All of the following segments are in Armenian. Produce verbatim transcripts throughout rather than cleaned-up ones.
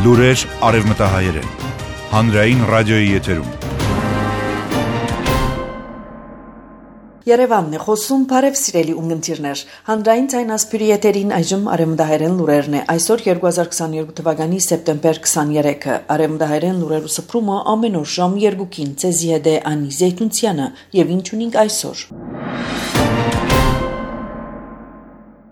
Լուրեր արևմտահայերեն, հանրային ռադիոյի եթերում։ Երևանն է խոսում, բարև սիրելի ունգընտիրներ, հանրային ձայն ասպյուրի եթերին այժմ արևմտահայերեն լուրերն է, այսօր երկու հազար քսաներկու թվականի սեպտեմբեր քսաներեքը, արևմտահայերեն լուրերու սփռումը ամեն օր ժամ երկուքին, ցեզի հետ է Անի Զեյթունցյանը, եւ ինչ ունենք այսօր։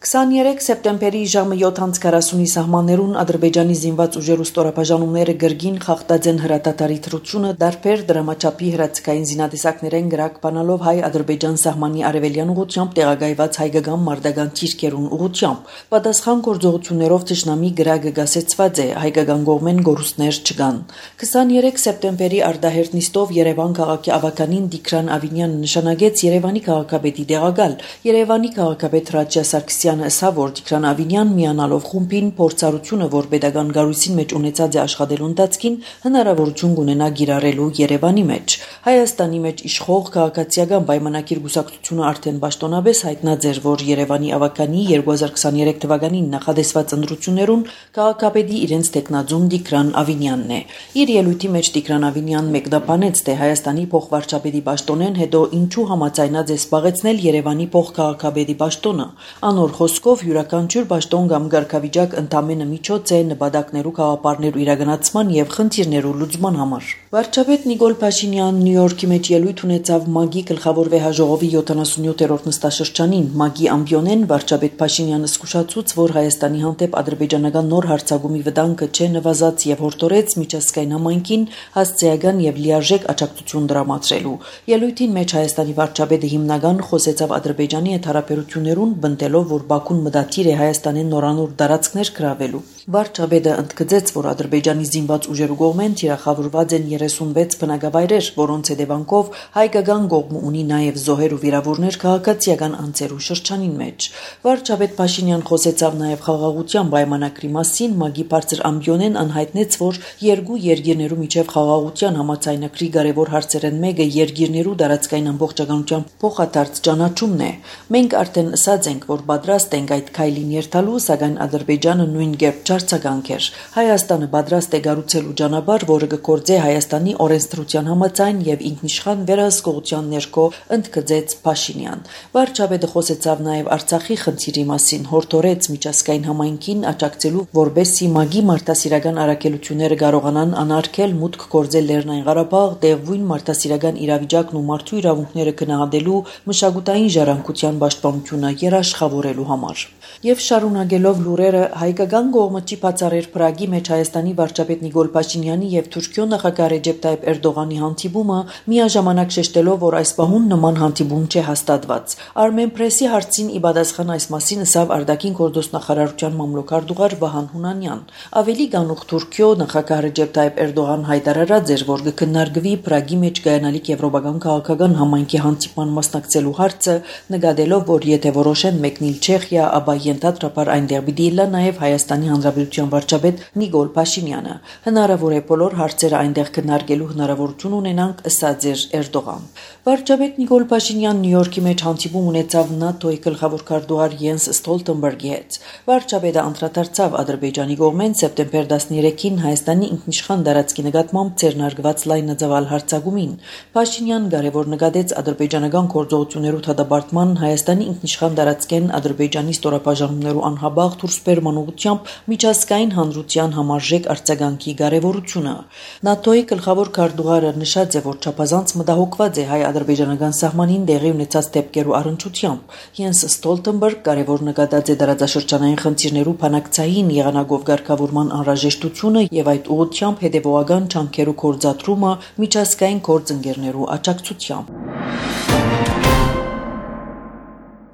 քսաներեք սեպտեմբերի ժամը յոթ անց քառասունի սահմաններուն Ադրբեջանի զինված ուժերու ստորապաժանումները գրգին խախտած են հրատատարի թրությունը դարբեր դրամաչափի հրացքային զինատեսակներեն գրակ բանալով հայ-ադրբեջան սահմանի արևելյան ուղղությամբ տեղակայված հայկական մարտական ճիրկերուն ուղղությամբ։ Պատասխան գործողություններով թշնամի գրակը գասեցված է, հայկական կողմեն գորուստներ չկան։ քսաներեք սեպտեմբերի արդահերթ նիստով Երևան քաղաքի ավականին Տիգրան Ավինյանը նշանակեց Երևանի քաղաքապետի տեղակալ։ Երևանի քաղաքապետ Ռաջա Սարգսյանը ասավ, որ Տիգրան Ավինյան միանալով խումբին փորձառությունը, որ pedagogan գարույցին մեջ ունեցած է աշխատելու ընթացքին, հնարավորություն կունենա գիրառելու Երևանի մեջ։ Հայաստանի մեջ իշխող քաղաքացիական պայմանագիր գուսակցությունը արդեն պաշտոնապես հայտնած էր, որ Երևանի ավականի երկու հազար քսաներեք թվականին նախադեсված ընտրություններուն քաղաքապետի իրենց տեխնազում Տիգրան Ավինյանն է։ Իր ելույթի մեջ Տիգրան Ավինյանն մեկնաբանեց, թե Հայաստանի փոխվարչապետի պաշտոնեն հետո ինչու համաձայնած է զբաղեցնել Երևանի փոխքաղաքապետի պաշտոնը։ Անոր խոսքով յուրաքանչյուր պաշտոն կամ ղեկավարիչակ ընդամենը միջոց է նպատակներու կաղապարներու իրականացման եւ խնդիրներու լուծման համար։ Վարչապետ Նիկոլ Փաշինյանն Նյու Յորքի մեջ ելույթ ունեցավ ՄԱԳ-ի գլխավոր վեհաժողովի յոթանասունյոթերորդ նստաշրջանին։ ՄԱԳ-ի ամբիոնեն վարչապետ Փաշինյանը զսկուշացուց, որ Հայաստանի հանդեպ ադրբեջանական նոր հարձակումի վտանգը չէ նվազած եւ հորդորեց միջազգային համայնքին հասցեական եւ լիարժեք աջակցություն դրամատրելու։ Ելույթին մեջ Հայաստանի վարչապետը հիմնական խոսեցավ Ադրբեջանի հետ հարաբերություններուն, բնդելով, որ Բաքուն մտադիր է Հայաստանի նորանոր տարածքներ գրավելու։ Վարչապետը ընդգծեց, որ Ադրբեջանի զինված ուժերու կողմեն թիրախավորված են երեսունվեց բնակավայրեր, որոնց հետևանքով հայկական կողմը ունի նաև զոհեր ու վիրավորներ քաղաքացիական անձերու շրջանին մեջ։ Վարչապետ Փաշինյան խոսեցավ նաև խաղաղության պայմանագրի մասին, ՄԱԳ-ի բարձր ամբիոնեն անհայտնեց, որ երկու երկիրներու միջև խաղաղության համաձայնագրի կարևոր հարցերեն մեկը երկիրներու տարածքային ամբողջականության փոխադարձ ճանաչումն է։ Մենք արդեն ասած ենք, որ պատրաստ ենք այդ քայլին երթալու, սակայն Ադրբեջանը նույն կերպ չարձագանք էր։ Հայաստանը պատրաստ է կառուցելու ճանապարհ, որը կգործե Հայաստանի օրենսդրության համաձայն եւ ինքնիշխան վերահսկողության ներքո, ընդգծեց Փաշինյան։ Վարչապետը խոսեցավ նաեւ Արցախի խնդիրի մասին, հորդորեց միջազգային համայնքին աջակցելու, որբեսզի ՄԱԳ-ի մարդասիրական առաքելությունները կարողանան անարգել մուտք գործել Լեռնային Ղարաբաղ, դեղույն մարդասիրական իրավիճակն ու մարդու իրավունքները գնահատելու մշակութային ժառանգության պաշտպանությունը երաշխավորելու համար։ Եվ շարունակելով լուրերը, հայկական կողմը չի բացառեր Պրագի մեջ Հայաստանի վարչապետ Նիկոլ Փաշինյանի եւ Թուրքիո նախագահ Ռեջեփ Տայիպ Էրդողանի հանդիպումը, միաժամանակ շեշտելով, որ այս պահուն նման հանդիպում չէ հաստատված։ Armen Press-ի հարցին ի պատասխան այս մասին ասավ արտաքին գործոստնախարարության մամլոքարտուղար Վահան Հունանյան։ Ավելի գանուխ Թուրքիո նախագահ Ռեջեփ Տայիպ Էրդողան հայտարարած էր, որ կքննարկվի Պրագի մեջ կայանալիք եվրոպական քաղաքական համայնքի հանդիպման մասնակցելու հարցը, նկատելով, որ եթե որոշեն մեկնել Չեխիա, ապա ենթադրաբար այնտեղ պիտի լա նաև Հայաստանի Հանրապետության վարչապետ Նիկոլ Փաշինյանը։ Հնարավոր է բոլոր հարցերը այնտեղ քննարկելու հնարավորություն ունենանք, ասաց Էրդողան։ Վարչապետ Նիկոլ Փաշինյանն Նյու Յորքի մեջ հանդիպում ունեցավ ՆԱՏՕ-ի գլխավոր քարտուղար Յենս Ստոլտենբերգի հետ։ Վարչապետը անդրադարձավ Ադրբեջանի կողմեն սեպտեմբեր տասներեքին Հայաստանի ինքնիշխան տարածքի նկատմամբ ձեռնարկված լայնածավալ հարձակումին։ Փաշինյանն կարևոր նկատեց ադրբեջանական գործողություններու դադարման, Հայաստանի ինքնիշխան տարածքեն Ադրբեջանի ստորապաժանումներու անհաբաղ դուրսբերման ուղղությամբ միջազգային հանրության համարժեք արձագանքի կարևորությունը։ ՆԱՏՕ-ի գլխավոր քարտուղարը նշած է, որ չափազանց մտահոգված է հայ-ադրբեջանական սահմանին տեղի ունեցած դեպքերու առնչությամբ։ Յենս Ստոլտենբերգ կարևոր նկատած է տարածաշրջանային խնդիրներու բանակցային եղանակով ղեկավարման անհրաժեշտությունը եւ այդ ուղղությամբ հետեւողական ջանքերու կորցատրումը միջազգային գործընկերներու աջակցությամբ։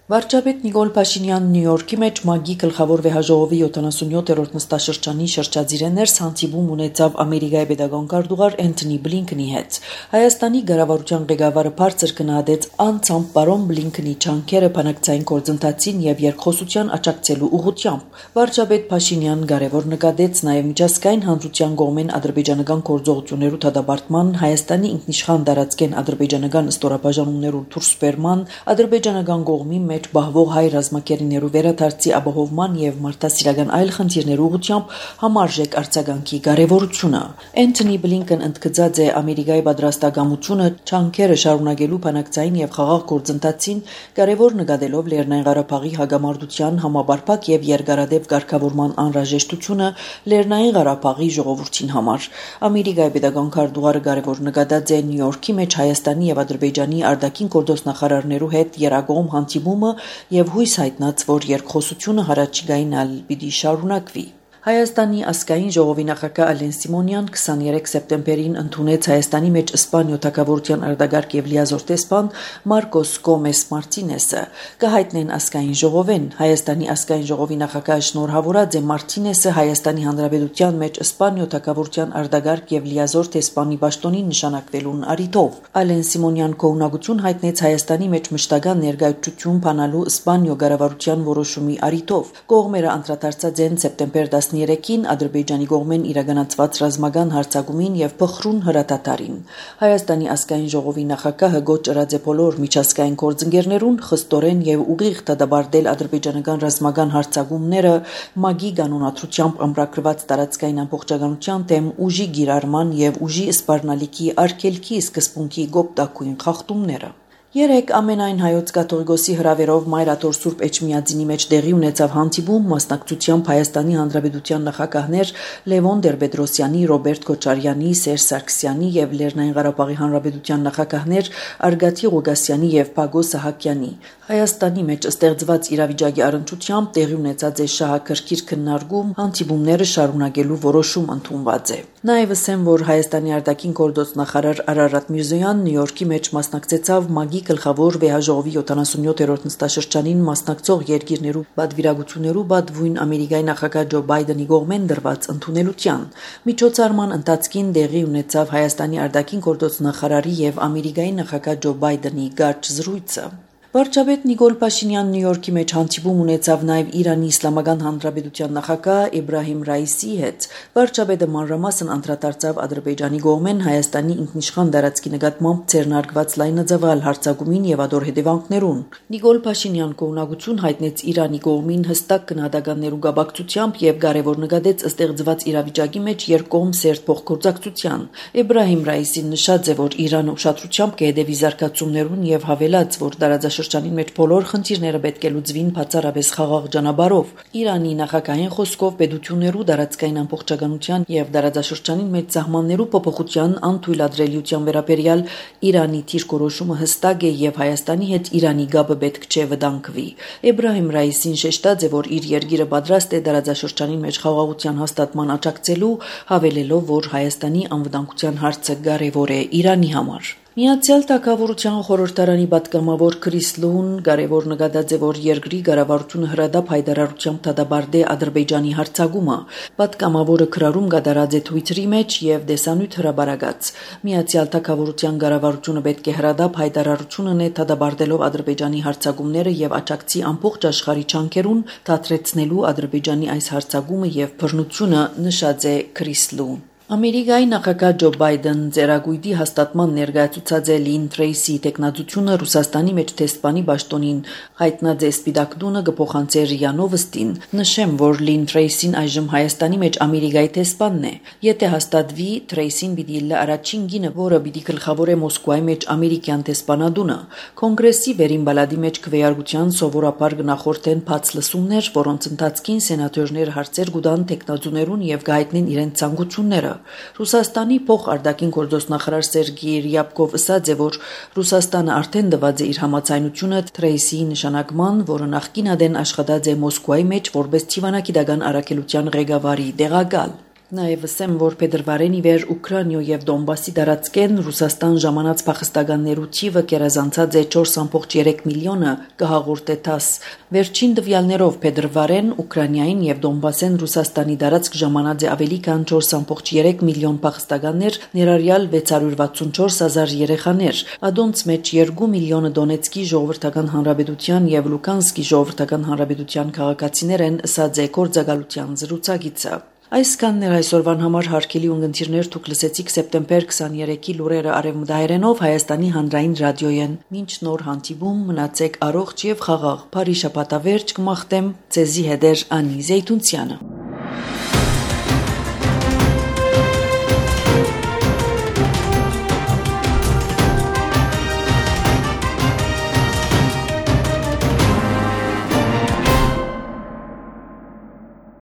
Վարչապետ Նիկոլ Փաշինյանն Նյու Յորքի մեջ ՄԱԳ-ի գլխավոր վեհաժողովի յոթանասունյոթերորդ նստաշրջանի շրջադիրներս հանդիպում ունեցավ Ամերիկայի պետական քարտուղար Էնթոնի Բլինքենի հետ։ Հայաստանի ղեկավարության ղեկավարը բարձր գնահատեց անցամբ պարոն Բլինքենի ջանքերը բանակցային գործընթացին եւ երկխոսության աջակցելու ուղղությամբ։ Վարչապետ Փաշինյանն կարևոր նկատեց նաեւ միջազգային հանրության կողմեն ադրբեջանական գործողություններու դադարման, Հայաստանի ինքնիշխան տարածքեն ադրբեջանական ստորապաժանումներու դուրսբերման, ադրբեջանական կողմի մեջ բահվող հայ ռազմակերիներու վերադարձի ապահովման եւ մարդասիրական այլ խնդիրներու ուղղությամբ համարժեք արձագանքի կարեւորությունը։ Անթոնի Բլինկեն ընդգծած է Ամերիկայի պատրաստակամությունը չանքերը շարունակելու բանակցային եւ խաղաղ գործընթացին կարեւոր նկատելով Լեռնային Ղարաբաղի հագամարտության համապարփակ եւ երկարատև կարգավորման անհրաժեշտությունը Լեռնային Ղարաբաղի ժողովրդին համար։ Ամերիկայի պետական քարտուղարը կարեւոր նկատած է Նյու Յորքի մեջ Հայաստանի եւ Ադրբեջանի արտաքին գործնախարարներու հետ երակողմ հանդիպումը եւ հույս հայտնած, որ երկխոսությունը հարաճիգային ալ պիտի շարունակվի։ Հայաստանի ազգային ժողովի նախագահ Ալեն Սիմոնյան քսաներեք սեպտեմբերին ընդունեց Հայաստանի մեջ Իսպանիա թագավորության արտագարկ եւ լիազոր տեսփան Մարկոս Գոմես Մարտինեսը։ Կհայտնեն ազգային ժողովեն Հայաստանի ազգային ժողովի նախագահ շնորհավորած է Մարտինեսը Հայաստանի Հանրապետության մեջ Իսպանիա թագավորության արտագարկ եւ լիազոր տեսփանի պաշտոնին նշանակվելուն առիթով։ Ալեն Սիմոնյան կողմնակություն հայտնեց Հայաստանի մեջ մշտական ներկայացություն բանալու Իսպանիա կառավարության որոշումի առիթով։ Կողմերը անդրադարձած են սեպտեմբեր տասներեքին Ադրբեջանի կողմեն իրականացված ռազմական հարձակումին եւ փխրուն հրատատարին։ Հայաստանի ազգային ժողովի նախագահը գոչ ըրած է բոլոր միջազգային գործընկերներուն խստորեն եւ ուղիղ դադարել ադրբեջանական ռազմական հարձակումները մագի կանոնադրությամբ ամրագրված տարածքային ամբողջականության դեմ ուժի գիրառման եւ ուժի սպառնալիքի արգելքի սկզբունքի գոպտակույն խախտումները։ Երեք ամենայն հայոց կաթողիկոսի հրավերով Մայրաթոր Սուրբ Էջմիածինի մեջ տեղի ունեցավ հանդիպում մասնակցությամբ Հայաստանի Հանրապետության նախագահներ Լևոն Տեր-Պետրոսյանի, Ռոբերտ Քոչարյանի, Սերժ Սարգսյանի եւ Լեռնային Ղարաբաղի Հանրապետության նախագահներ Արգատի Ղուգասյանի եւ Պագոս Սահակյանի։ Հայաստանի մեջ ստեղծված իրավիճակի առնչությամբ տեղի ունեցած է շահագրգիռ քննարկում, հանդիպումները շարունակելու որոշում ընդունված է։ Նաեւ ասեմ, որ Հայաստանի արտաքին գործ նախարար Արարատ Միրզոյանն Նյու Յորքի մեջ մասնակցեցավ Մագի գլխավոր վեհաժողովի յոթանասունյոթերորդ նստաշրջանին մասնակցող երկիրներու պատվիրակություններու պատվույն Ամերիկայի նախագահ Ջո Բայդենի կողմեն դրված ընդունելության։ Միջոցառման ընթացքին տեղի ունեցավ Հայաստանի արտաքին գործ նախարարի եւ Ամերիկայի նախագահ Ջո Բայդենի կարճ զրույցը։ Վարչապետ Նիկոլ Փաշինյանն Նյու Յորքի մեջ հանդիպում ունեցավ նաև Իրանի Իսլամական Հանրապետության նախագահ Իբրահիմ Ռայիսի հետ։ Վարչապետը մանրամասն անդրադարձավ Ադրբեջանի կողմեն Հայաստանի ինքնիշխան տարածքի նկատմամբ ցերնարգված լայնածավալ հարձակումին եւ ադոր հետևանքներուն։ Նիկոլ Փաշինյան կողմնակություն հայտնեց Իրանի կողմին հստակ գնահատականներու գաբակցությամբ եւ կարեւոր նկատեց ստեղծված իրավիճակի մեջ երկկողմ սերտ փոխգործակցության։ Իբրահիմ Ռայիսին նշած է, որ Իրանը ուշադրությամբ կհետևի զարգացումներուն եւ հավելած, որ տարածաշրջանին մեջ բոլոր խնդիրները պետք է լուծվին բացառապես խաղաղ ճանապարհով։ Իրանի նախագահային խոսքով պետություններու տարածքային ամբողջականության եւ տարածաշրջանին մեջ սահմաններու փոփոխության անթույլատրելիության վերաբերյալ Իրանի դիրքորոշումը հստակ է եւ Հայաստանի հետ Իրանի գաբը պետք չէ վտանգվի։ Իբրահիմ Ռայիսին շեշտած է, որ իր երկիրը պատրաստ է տարածաշրջանին մեջ խաղաղության հաստատման աջակցելու, հավելելով, որ Հայաստանի անվտանգության հարցը կարեւոր է Իրանի համար։ Միացյալ Թագավորության խորհրդարանի պատգամավոր Քրիս Լուն կարևոր նկատած է, որ երկրի կառավարությունը հրադապ հայտարարությամբ դադարեցրել է Ադրբեջանի հարձակումը։ Պատգամավորը քրարում կատարած է Twitter-ի մեջ եւ դեսանյութ հրաբարացած։ Միացյալ Թագավորության կառավարությունը պետք է հրադապ հայտարարություն ունենա դադարելով Ադրբեջանի հարձակումները եւ աջակցի ամբողջ աշխարհի չանքերուն դադրեցնելու Ադրբեջանի այս հարձակումը եւ բռնությունը, նշած է Քրիս Լուն։ Ամերիկայի նախագահ Ջո Բայդեն ձեռագույտի հաստատման ներկայացուցած է Լին Թրեյսի տեխնացությունը Ռուսաստանի մեջ տեսփանի պաշտոնին հայտնած է Սպիտակ տունը կփոխանցե ՌԻԱ Նովոստին։ Նշեմ, որ Լին Թրեյսին այժմ Հայաստանի մեջ Ամերիկայի տեսփանն է։ Եթե հաստատվի, Թրեյսին պիտի լա առաջին գինը, որը պիտի գլխավորե Մոսկվայի մեջ ամերիկյան տեսփանադունը։ Կոնգրեսի վերին բալադի մեջ քվեարկության սովորաբար գնախորտեն բաց լսումներ, որոնց ընթացքին սենատորներ հարցեր կուտան տեխնացուներուն եւ գայտնեն իրենց ցանկությունները։ Ռուսաստանի փոխարտաքին գործոստնախարար Սերգեյ Ռյաբկով ասաց է, որ Ռուսաստանը արդեն տված է իր համաձայնությունը Թրեյսիի նշանակման, որը նախկին ադեն աշխատած է Մոսկվայի մեջ որպես Թիվանագիտական առաքելության ղեկավարի տեղակալ։ Նաև ասեմ, որ փետրվարին ի վեր Ուկրաինա եւ Դոնբասի տարածքեն Ռուսաստան ժամանած փախստականներու թիվը կերազանցած է չորս կόμμα երեք միլիոնը, կհաղորդե ՏԱՍ։ Վերջին տվյալներով փետրվարեն Ուկրաինային եւ Դոնբասեն Ռուսաստանի տարածք ժամանած է ավելի քան չորս կόμma երեք միլիոն փախստականներ, ներառյալ վեց հարյուր վաթսունչորս հազար երեխաներ։ Ադոնց մեջ երկու միլիոնը Դոնեցկի ժողովրդական հանրապետության եւ Լուկանսկի ժողովրդական հանրապետության քաղաքացիներ են, ասաց է գործակալության զրուցակիցը։ Այս կաններ այսօրվան համար հարգելի ունգընտիրներ դուք լսեցիք սեպտեմբեր քսաներեքի լուրերը արևմտահայերենով Հայաստանի հանրային ռադիոյեն։ Մինչ նոր հանդիպում մնացեք առողջ եւ խաղաղ։ Բարի շաբաթավերջ կմաղթեմ ձեզի հետեր Անի Զեյթունցյանը։